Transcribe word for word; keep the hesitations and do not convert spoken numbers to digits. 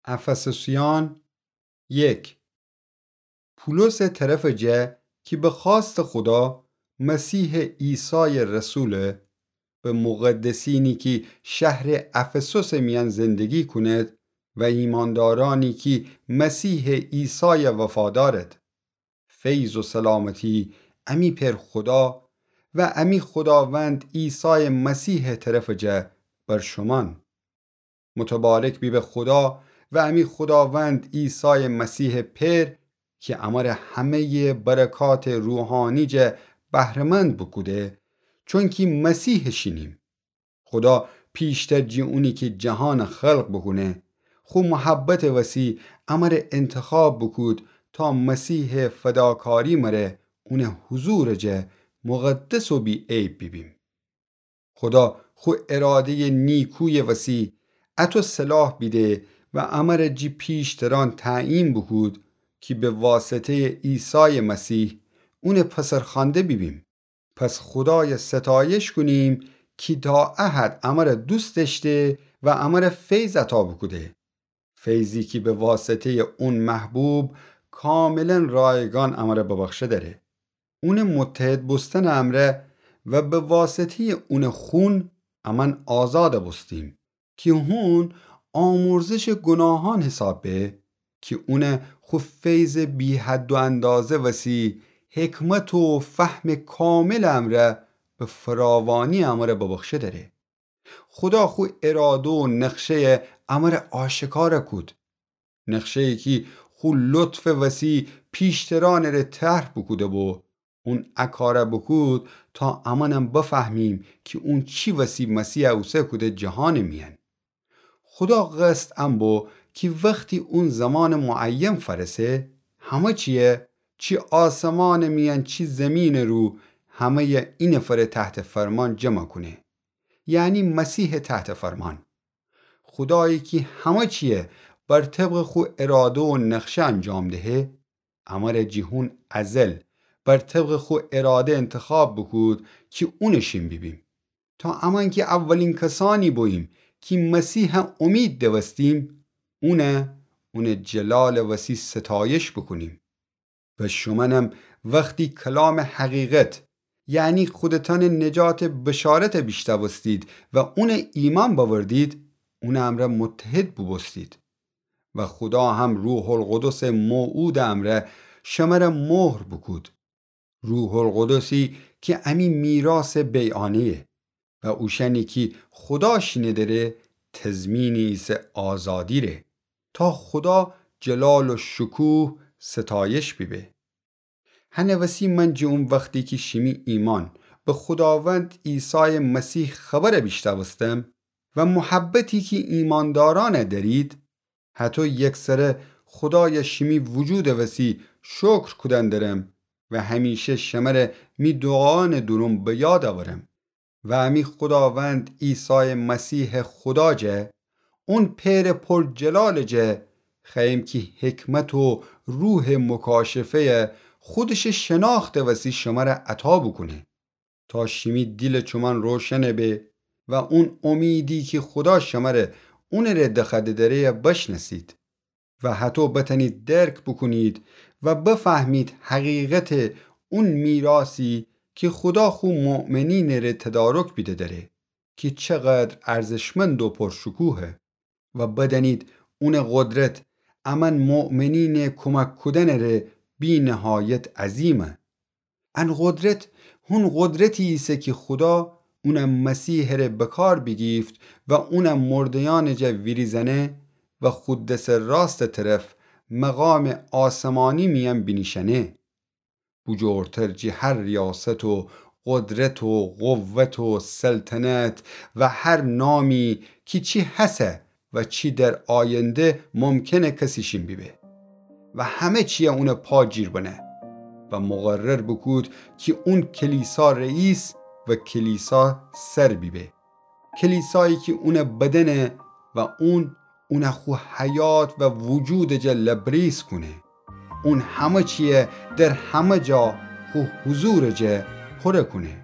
افسوسیان یک. پولس طرفٚ جا کی به خوأستٚ خودا مسیحٚ عیسایٚ رسوله، به مقدسینی کی شهرٚ افسوسٚ میأن زندگی کونید و ایماندارأنی کی مسیحٚ عیسای وفادارید. فیض و سلامتی امی پئر خودا و امی خوداوند عیسایٚ مسیحٚ طرفٚ جا بر شومأن. متبارک بیبه خودا و امی خوداوند عیسایٚ مسیحٚ پئر کی امره همه‌یٚ برکاتٚ روحانی جا بهره‌مند بوکوده، چونکی مسیحٚ شینیم. خودا پیشتر جی اونی کی جهان خلق بوکونه، خو محبتٚ وسی امره انتخاب بوکود تا مسیحٚ فداکاری مره اونٚ حضورٚ جا مقدس و بی‌عیب بیبیم. خودا خو اراده‌یٚ نیکویٚ وسی اطو صلاح بیده و امره جی پیشترأن تعیین بوکود کی به واسطه‌یٚ عیسایٚ مسیح اونٚ پسرخوأنده بیبیم. پس خودای ستایش کونیم کی تا ا حد امره دوست دأشته و امره فیض عطا بوکوده. فیضی کی به واسطه‌یٚ اون محبوب کاملاً رایگان امره ببخشه دأره. اونٚ متحد بوستنٚ امرأ و به واسطه‌یٚ اونٚ خون امأن آزاد بوستیم. کی هون آمرزشٚ گوناهأن حساب به، کی اون خو فیضٚ بی‌حد و اندازه وسی حکمت و فهمٚ کاملٚ امرأ به فراوانی امرأ ببخشه دأره. خودا خو اراده و نقشه‌یٚ امرأ آشکار کود. نقشه‌یی کی خو لطفٚ وسی پیشترأنٚ ره طرح بوکوده بو، اون ا کار بوکود تا امأنم بفهمیم کی اون چی وسی مسیح اوسه کوده جهانٚ میأن. خودا قصد ان بو کی وختی اون زمانٚ معین فأرسه، همه چیه، چی آسمانٚ میأن چی زیمینٚ رو، همه‌یٚ اینفر تحتٚ فرمان جمع کونه، یعنی مسیحٚ تحتٚ فرمان. خودایی کی همه چیه بر طبقٚ خو اراده و نقشه انجام دهه، امرأ جی هون ازل بر طبقٚ خو اراده انتخاب بوکود کی اونٚ شین بیبیم. تا امأن کی اولین کسأنی بوییم کی مسیح امید دوستیم، اون، اونٚ جلالٚ وسی ستایش بوکونیم. و شومأنم وختی کلامٚ حقیقت، یعنی خودتأنٚ نجاتٚ بشارت بیشنوستید و اون ایمأن بأوردید، اونٚ امرأ متحد بوبوستید. و خودا هم روح‌القدسٚ موعودٚ امرأ شمره مهر بوکود. روح‌القدسی کی امی میراثٚ بیعانه‌یه و اوشأنی کی خودا شینه دره تضمینی ایسه آزادی ره، تا خودا جلال و شکوه ستایش بیبه. هنٚ وسی من جی اون وختی کی شیمی ایمأن به خوداوند عیسایٚ مسیح خبر بیشنوستم و محبتی کی ایمأندارأن دأرید، هطو یکسره خودای شیمی وجودٚ وسی شکر کودن درم و همیشه شمره می دوعایأنٚ دورون به یاد اورم. و امی خوداوند عیسایٚ مسیحٚ خودا جا، اون پئرٚ پر جلالٚ جا، خوأیم کی حکمت و روحٚ مکاشفه‌ی خودشٚ شناختٚ وسی شمره عطا بوکونه. تا شیمی دیلٚ چومأن روشن به و اون امیدی کی خودا شمره اونٚ ره دخوأده دره بشنأسید و هطو بتأنید درک بوکونید و بفهمید حقیقتٚ اون میراثی کی خودا خو مؤمنینٚ ره تدارک بیده دره کی چقدر ارزشمند و پرشکوهه. و بدأنید اونٚ قدرت امأن مؤمنینٚ کمک کودنٚ ره بی‌نهایت عظیمه. ان قدرت هون قدرتی ایسه کی خودا اون مسیحٚ ره بکار بیگیفت و اون مرده‌یأنٚ جا ویریزأنه و خو دسٚ راستٚ طرف مقامٚ آسمانی میأن بینیشأنه. بوجورتر جی هر ریاست و قدرت و قوت و سلطنت و هر نامی کی چی هسه و چی در آینده ممکنه کسی شین بیبه و همه چیه اونٚ پا جیر بنه و مقرر بوکود کی اون کلیسا رئیس و کلیسا سر بیبه. کلیسایی کی اونٚ بدنه و اون، اون خو حیات و وجودٚ جا لبریز کونه. اون همه چیه در همه جا خو حضورٚ جا پره کونه.